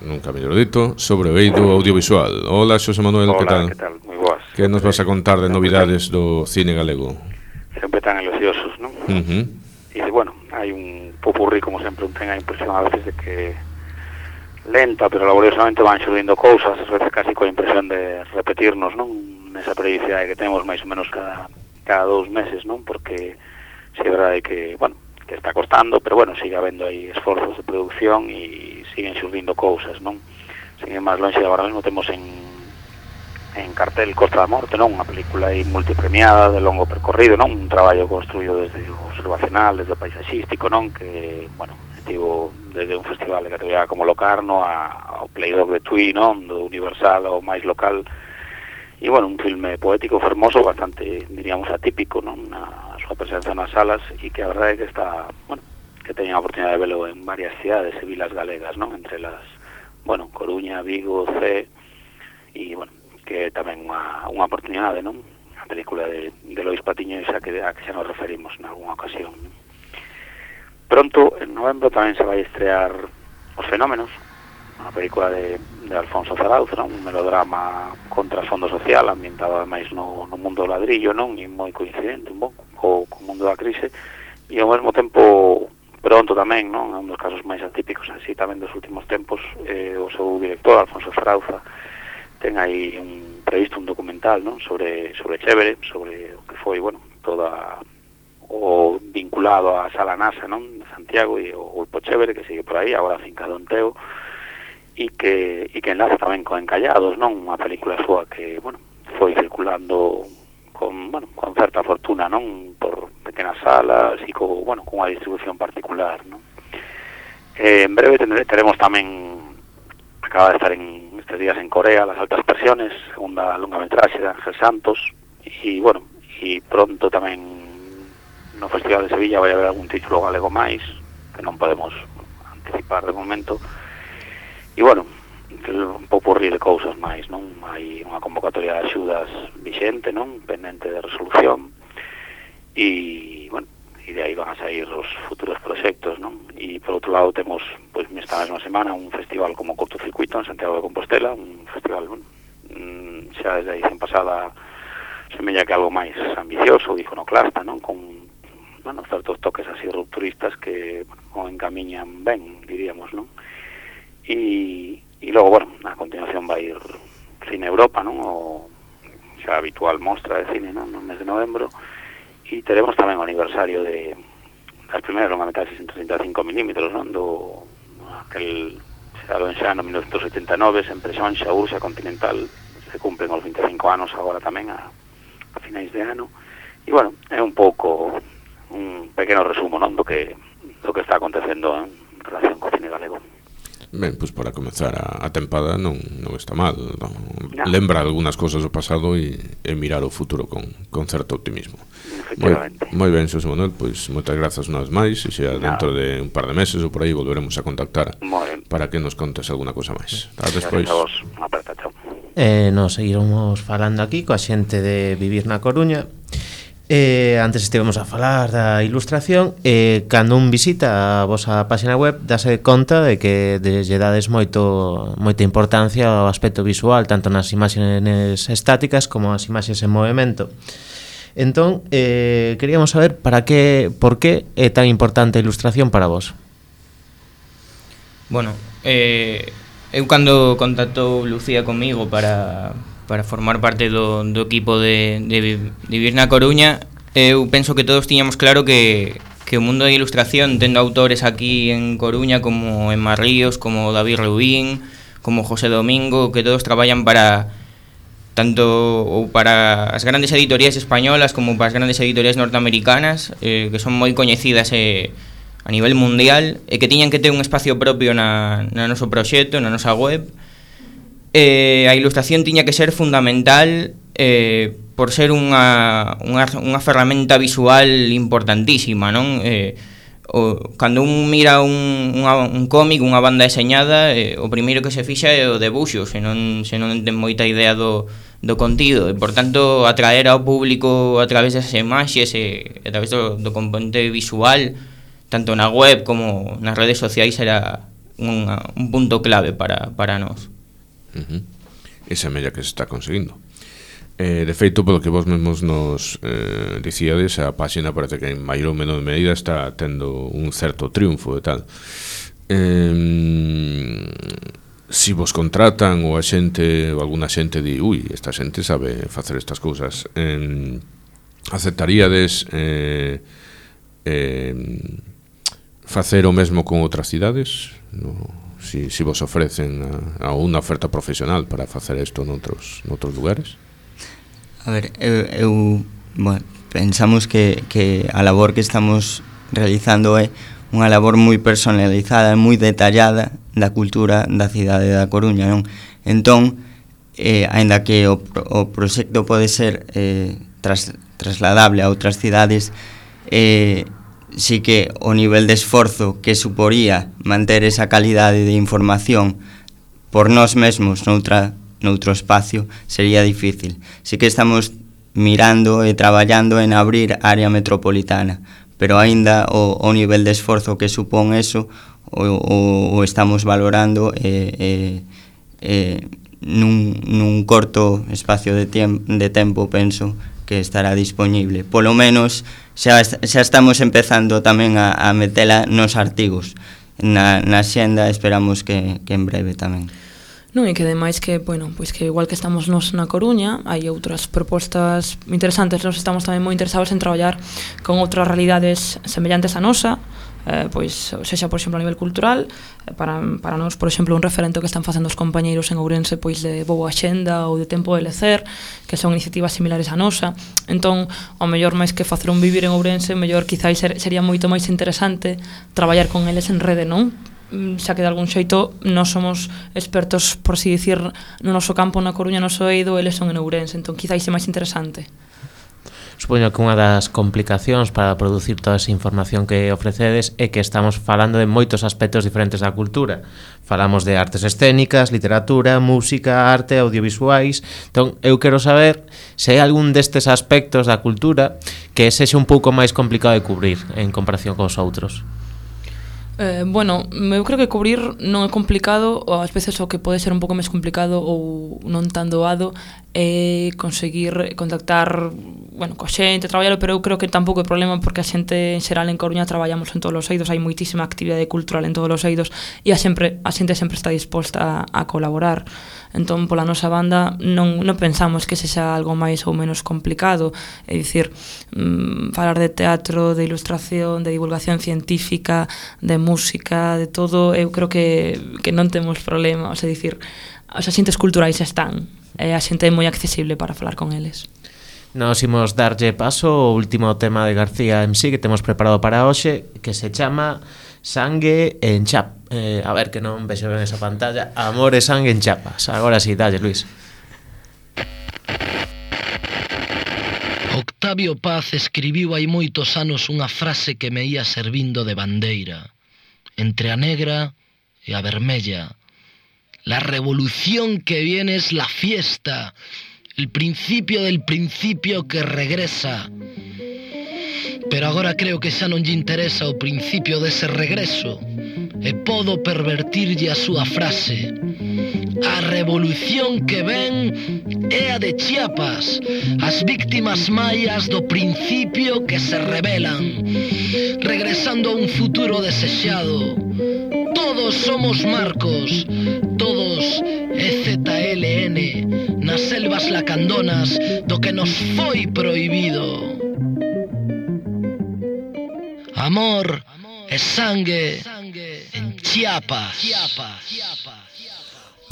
nunca mellor dito, sobre o eido audiovisual. Hola Xosé Manuel, que tal? Que tal? Moi boas. Que nos vas a contar de novidades do cine galego? Sempre tan elogiosos, non? E, bueno, hai un popurrí, como sempre, ten a impresión a veces de que lenta, pero laboriosamente van xurdindo cousas, a veces casi coa impresión de repetirnos, non? Nesa periodicidade que temos máis ou menos cada 2 meses, non? Porque si é verdade que, bueno, que está costando, pero bueno, sigue habendo aí esforzos de producción e siguen xurdindo cousas, non? Sin ir máis longe, agora mesmo temos en cartel Costa da Morte, non? Unha película aí multipremiada de longo percorrido, non? Un traballo construído desde o observacional, desde o paisaxístico, non? Que, bueno, estivo desde un festival de categoría como Locarno ao Playdog de Tui, non? Do Universal ao máis local. E, bueno, un filme poético, fermoso, bastante, diríamos, atípico, non? Na súa presenza nas salas e que a verdade é que está, bueno, que teñen a oportunidade de velo en varias cidades e vilas galegas, non? Entre las, bueno, Coruña, Vigo, Cee e, bueno, que é tamén unha oportunidade, non? A película de Lois Patiño a que xa nos referimos en algunha ocasión, non? Pronto, en novembro, tamén se vai estrear Os Fenómenos, unha película de Alfonso Zarauz, non? Un melodrama contra fondo social, ambientado ademais no mundo do ladrillo, non? E moi coincidente un pouco co mundo da crise, e ao mesmo tempo pronto tamén, non? É un dos casos máis atípicos así tamén dos últimos tempos, o seu director, Alfonso Zarauza, ten aí previsto un documental, non? Sobre Chévere, sobre o que foi, bueno, toda o vinculado á Sala NASA, non? De Santiago e o Grupo Chévere, que sigue por aí, agora fincado en Teo, e que enlaza tamén con Encallados, non? Unha película súa que, bueno, foi circulando con certa fortuna, non? Por pequenas salas e con unha distribución particular, non? En breve teremos tamén, acaba de estar estes días en Corea, Las Altas Presiones, segunda longametraxe de Ángel Santos, e, bueno, e pronto tamén no Festival de Sevilla vai haber algún título galego máis, que non podemos anticipar de momento, e, bueno, un popurrí de cousas máis, non? Hai unha convocatoria de axudas vixente, non? Pendente de resolución, e, bueno, e de aí van a sair os futuros proxectos, non? E, por outro lado, temos, pois, nesta mesma semana, un festival como Cortocircuito en Santiago de Compostela, un festival, bueno, xa desde a edición pasada semella que algo máis ambicioso, iconoclasta, non? Con, bueno, certos toques así rupturistas que, bueno, o encamiñan ben, diríamos, non? E logo, bueno, a continuación vai ir Cine Europa, non? O xa habitual mostra de cine, non? No mes de novembro. E teremos tamén o aniversario das primeiras longametraxes en 35 milímetros, non? Aquel xado en xa no 1989, sempre Xonxa, Urxa, Continental, se cumplen os 25 anos agora tamén a finais de ano. E, bueno, é un pouco un pequeno resumo, non? Do que está acontecendo en relación co cine galego. Ben, pois para comezar a tempada non está mal, non? Lembra algunhas cousas do pasado e mirar o futuro con certo optimismo. Moi ben, Xosé Manuel, pois moitas grazas unha vez máis, e xa dentro de un par de meses ou por aí volveremos a contactar para que nos contes alguna cousa máis. Ata despois. Nos seguiremos falando aquí coa xente de Vivir na Coruña, Antes estivemos a falar da ilustración, cando un visita a vosa página web dase conta de que lle dades moita importancia ao aspecto visual, tanto nas imaxes estáticas como as imaxes en movimento. Entón, queríamos saber por que é tan importante a ilustración para vos. Bueno, eu cando contactou Lucía comigo para formar parte do equipo de vivir na Coruña, eu penso que todos tiñamos claro que o mundo da ilustración, tendo autores aquí en Coruña como Emma Ríos, como David Rubín, como José Domingo, que todos traballan para as grandes editoriais españolas como para as grandes editoriais norteamericanas, que son moi coñecidas a nivel mundial, e que tiñan que ter un espacio propio na noso proxecto, na nosa web. A ilustración tiña que ser fundamental por ser unha ferramenta visual importantísima, non? Cando un mira un cómic, unha banda deseñada, o primeiro que se fixa é o debuxo, se non ten moita idea do contido, e por tanto atraer ao público a través das imaxes e a través do componente visual, tanto na web como nas redes sociais, era un punto clave para nós. Esa mella que se está conseguindo. De feito, polo que vos mesmos nos dicíades, a páxina parece que en maior ou menor medida está tendo un certo triunfo e tal. Si vos contratan ou a xente ou alguna xente di, esta xente sabe facer estas cousas, aceptaríades facer o mesmo con outras cidades? Si vos ofrecen a unha oferta profesional para facer isto noutros lugares? A ver, pensamos que a labor que estamos realizando é unha labor moi personalizada e moi detallada da cultura da cidade da Coruña, non? Entón, aínda que o proxecto pode ser trasladable a outras cidades, sí que o nivel de esforzo que suporía manter esa calidade de información por nós mesmos noutro espacio sería difícil. Sí que estamos mirando e traballando en abrir área metropolitana, pero aínda o nivel de esforzo que supón eso o estamos valorando nun corto espacio de tempo, penso que estará disponible. Polo menos xa estamos empezando tamén a metela nos artigos. Na xenda esperamos que en breve tamén. Non, e que ademais que, bueno, pois que igual que estamos nos na Coruña, hai outras propostas interesantes. Nos estamos tamén moi interesados en traballar con outras realidades semellantes a nosa, pois, sexa, por exemplo, a nivel cultural, para nós, por exemplo, un referente que están facendo os compañeiros en Ourense, pois de Boa Xenda ou de Tempo de Lecer, que son iniciativas similares a nosa. Entón, ao mellor máis que facer un vivir en Ourense, mellor quizáis sería moito máis interesante traballar con eles en rede, non? Xa que de algún xeito nós somos expertos, por así dicir, no noso campo na Coruña, noso eido, eles son en Ourense, entón quizáis é máis interesante. Supoño que unha das complicacións para producir toda esa información que ofrecedes é que estamos falando de moitos aspectos diferentes da cultura. Falamos de artes escénicas, literatura, música, arte, audiovisuais. Entón, eu quero saber se hai algún destes aspectos da cultura que sexa un pouco máis complicado de cubrir en comparación cos outros. Bueno, eu creo que cubrir non é complicado, ou ás veces o que pode ser un pouco máis complicado ou non tan doado é conseguir contactar, bueno, coa xente, traballar, pero eu creo que tampouco é problema porque a xente en xeral en Coruña traballamos en todos os eidos, hai moitísima actividade cultural en todos os eidos e a xente sempre está disposta a colaborar. Entón, pola nosa banda, non pensamos que sexa algo máis ou menos complicado. É dicir, falar de teatro, de ilustración, de divulgación científica, de música, de todo, eu creo que non temos problema. O sea, dicir, os axentes culturais están, e a xente é moi accesible para falar con eles. Nos imos darlle paso ao último tema de García MC que temos preparado para hoxe, que se chama Sangue en Chap. A ver, que non vexo ben esa pantalla. Amor e sangue en chapas. Agora sí, dalle, Luis. Octavio Paz escribiu hai moitos anos unha frase que me ia servindo de bandeira. Entre a negra e a vermella. La revolución que viene es la fiesta. El principio del principio que regresa. pero agora creo que xa non lle interesa o principio dese regreso e podo pervertirlle a súa frase. A revolución que ven é a de Chiapas, as víctimas maias do principio que se rebelan, regresando a un futuro desexado. Todos somos Marcos, todos EZLN, nas selvas lacandonas do que nos foi prohibido. Amor e sangue en Chiapas.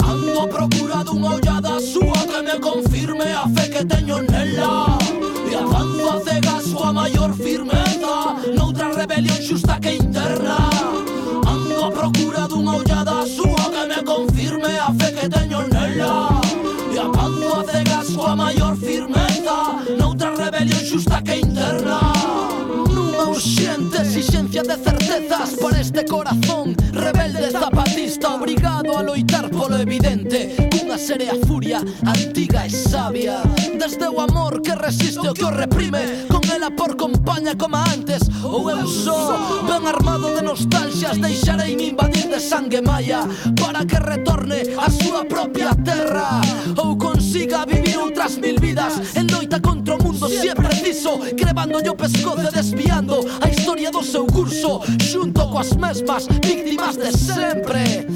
Ando a procura dunha ollada súa que me confirme a fe que teño nela, e avanzo a cegas súa maior firmeza noutra rebelión xusta que interna. Ando a procura dunha ollada súa que me confirme a fe que teño nela, e avanzo a cegas súa maior firmeza noutra rebelión xusta que interna. Nunha urxente exigencia de certezas para este corazón rebelde zapatista, obrigado a loitar polo evidente cunha serea furia antiga e sabia. Desde o amor que resiste o que o reprime, con ela por compaña como antes, ou eu só, ben armado de nostalgias, deixarei me invadir de sangue maia para que retorne a súa propia terra, ou consiga vivir outras mil vidas en loita contra o mundo se é preciso, crevándolle o pescozo e desviando a historia do seu curso, xunto coas mesmas víctimas de sempre,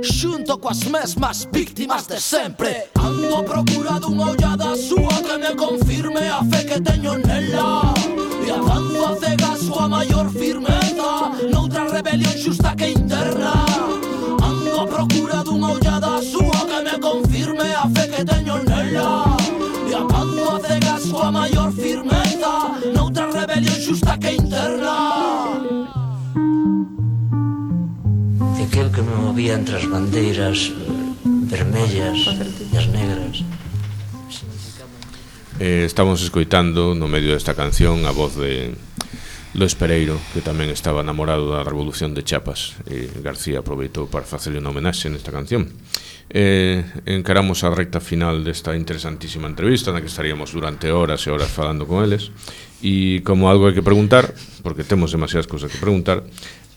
xunto coas mesmas víctimas de sempre. Ando a procura dunha ollada súa que me confirme a fe que teño nela, e avanzo a cegas súa maior firmeza noutra rebelión xusta que interna. Ando a procura dunha ollada súa que me confirme a fe que teño nela, e avanzo a cegas súa maior firmeza noutra rebelión xusta que interna. E aquel que me movía entre as bandeiras vermellas e as negras. Estamos escoitando no medio desta canción a voz de Luis Pereiro, que tamén estaba namorado da Revolución de Chiapas, e García aproveitou para facerle unha homenaxe nesta canción. Encaramos a recta final desta interesantísima entrevista na que estaríamos durante horas e horas falando con eles, e como algo hai que preguntar, porque temos demasiadas cousas que preguntar,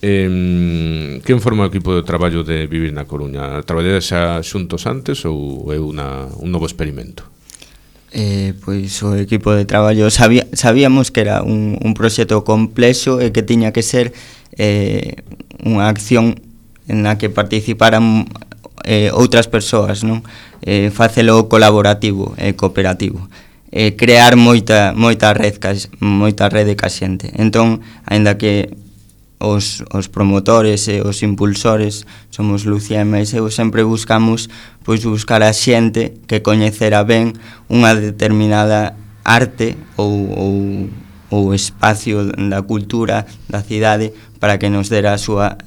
quen forma o equipo de traballo de Vivir na Coruña? Traballades xa xuntos antes ou é un novo experimento? Pois o equipo de traballo sabíamos que era un proxecto complexo e que tiña que ser unha acción na que participaran outras persoas, non? Facelo colaborativo e cooperativo, crear moita rede ca xente. Entón, aínda que os promotores e os impulsores somos Lucía e máis eu, sempre buscamos buscar a xente que coñecera ben unha determinada arte ou espacio da cultura da cidade para que nos dera a súa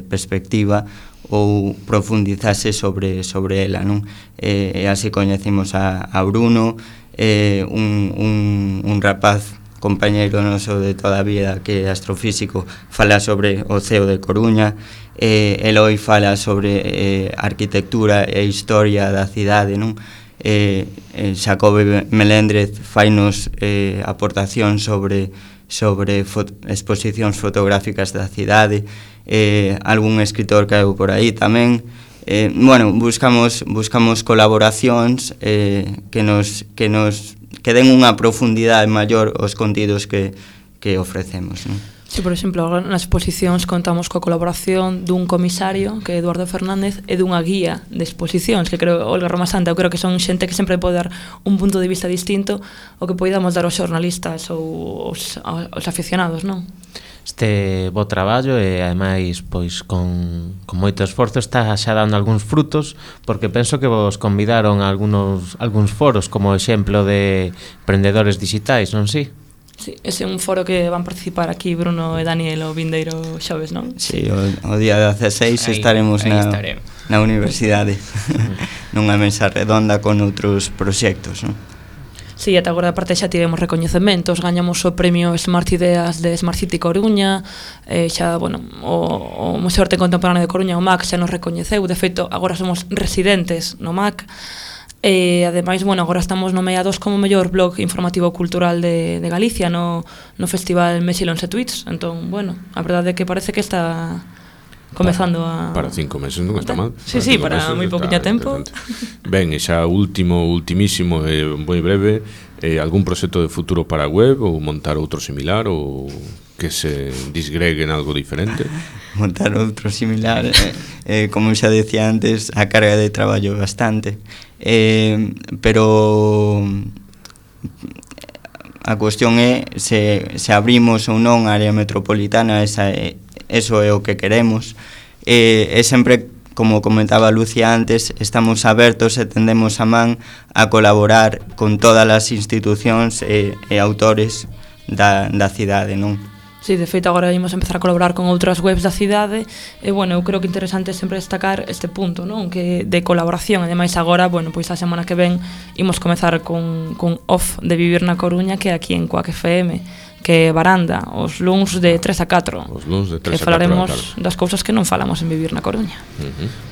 perspectiva ou profundizase sobre ela, non? E así coñecimos a Bruno, un rapaz compañeiro noso de toda a vida que é astrofísico, fala sobre o ceo de Coruña, Eloi fala sobre arquitectura e historia da cidade, non? Xacobe Melendrez fainos aportación sobre exposicións fotográficas da cidade, algún escritor que hai por aí tamén. Buscamos colaboracións que den unha profundidade maior aos contidos que ofrecemos, non? Sí, por exemplo, agora nas exposicións contamos coa colaboración dun comisario, que é Eduardo Fernández, e dunha guía de exposicións, que creo, Olga Roma Santa, eu creo que son xente que sempre pode dar un punto de vista distinto ao que podamos dar aos xornalistas ou aos aficionados, non? Este bo traballo e ademais pois con moito esforzo está xa dando algúns frutos, porque penso que vos convidaron a algúns foros como exemplo de emprendedores digitais, non si? Sí, ese é un foro que van participar aquí Bruno e Daniel o vindeiro xoves, non? Sí, o día 16 estaremos na universidade nunha mesa redonda con outros proxectos, non? Sí, ata agora aparte xa tivemos recoñecementos, gañamos o premio Smart Ideas de Smart City Coruña, xa, bueno, o Museo de Arte Contemporáneo de Coruña, o MAC, xa nos recoñeceu, de feito, agora somos residentes no MAC, E ademais, bueno, agora estamos nomeados como mellor blog informativo cultural de Galicia no Festival Mexilonse Tweets. Entón, bueno, a verdade é que parece que está comezando para 5 meses non está mal. Sí, para moi pouquiño tempo. Ben, e xa ultimísimo e moi breve, algún proxecto de futuro para a web ou montar outro similar ou que se disgregue en algo diferente? Montar outro similar, como xa decía antes, a carga de traballo bastante, pero a cuestión é se abrimos ou non a área metropolitana, eso é o que queremos, e sempre, como comentaba Lucia antes, estamos abertos e tendemos a man a colaborar con todas as institucións e autores da cidade, non? Sí, de feito agora imos empezar a colaborar con outras webs da cidade e, bueno, eu creo que é interesante sempre destacar este punto, non? Que de colaboración, ademais agora, bueno, pois a semana que ven imos comezar con Off de Vivir na Coruña, que é aquí en Quack FM, que é Baranda, os luns de 3 a 4. Os luns de 3 a 4. Que falaremos das cousas que non falamos en Vivir na Coruña.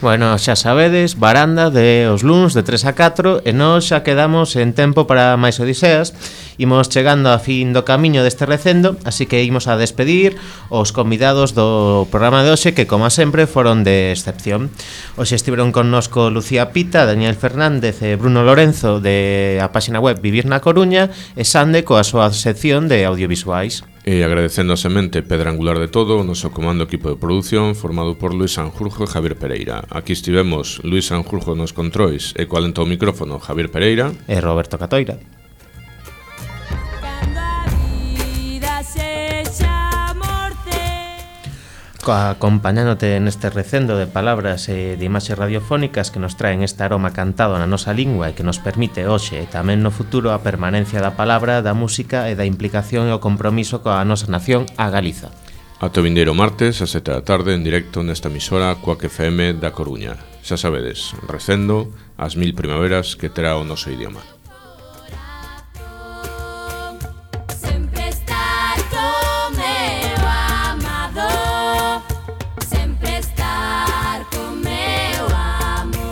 Bueno, xa sabedes, Baranda de os luns de 3 a 4 e nós xa quedamos en tempo para máis odiseas. Imos chegando a fin do camiño deste recendo, así que imos a despedir os convidados do programa de hoxe, que como sempre foron de excepción. Hoxe estiveron connosco Lucía Pita, Daniel Fernández e Bruno Lorenzo de a páxina web Vivir na Coruña e Sande coa súa sección de audiovisuais. E agradecendo a semente pedra angular de todo o noso comando equipo de produción formado por Luis Sanjurjo e Javier Pereira. Aquí estivemos Luis Sanjurjo nos controis e co alento ao micrófono Javier Pereira e Roberto Catoira. Acompañándote neste recendo de palabras e de imaxes radiofónicas que nos traen este aroma cantado na nosa lingua e que nos permite hoxe e tamén no futuro a permanencia da palabra, da música e da implicación e o compromiso coa nosa nación, a Galiza. Ata o vindeiro martes a 7 da tarde en directo nesta emisora Quack FM da Coruña. Xa sabedes, recendo as 1000 primaveras que terá o noso idioma.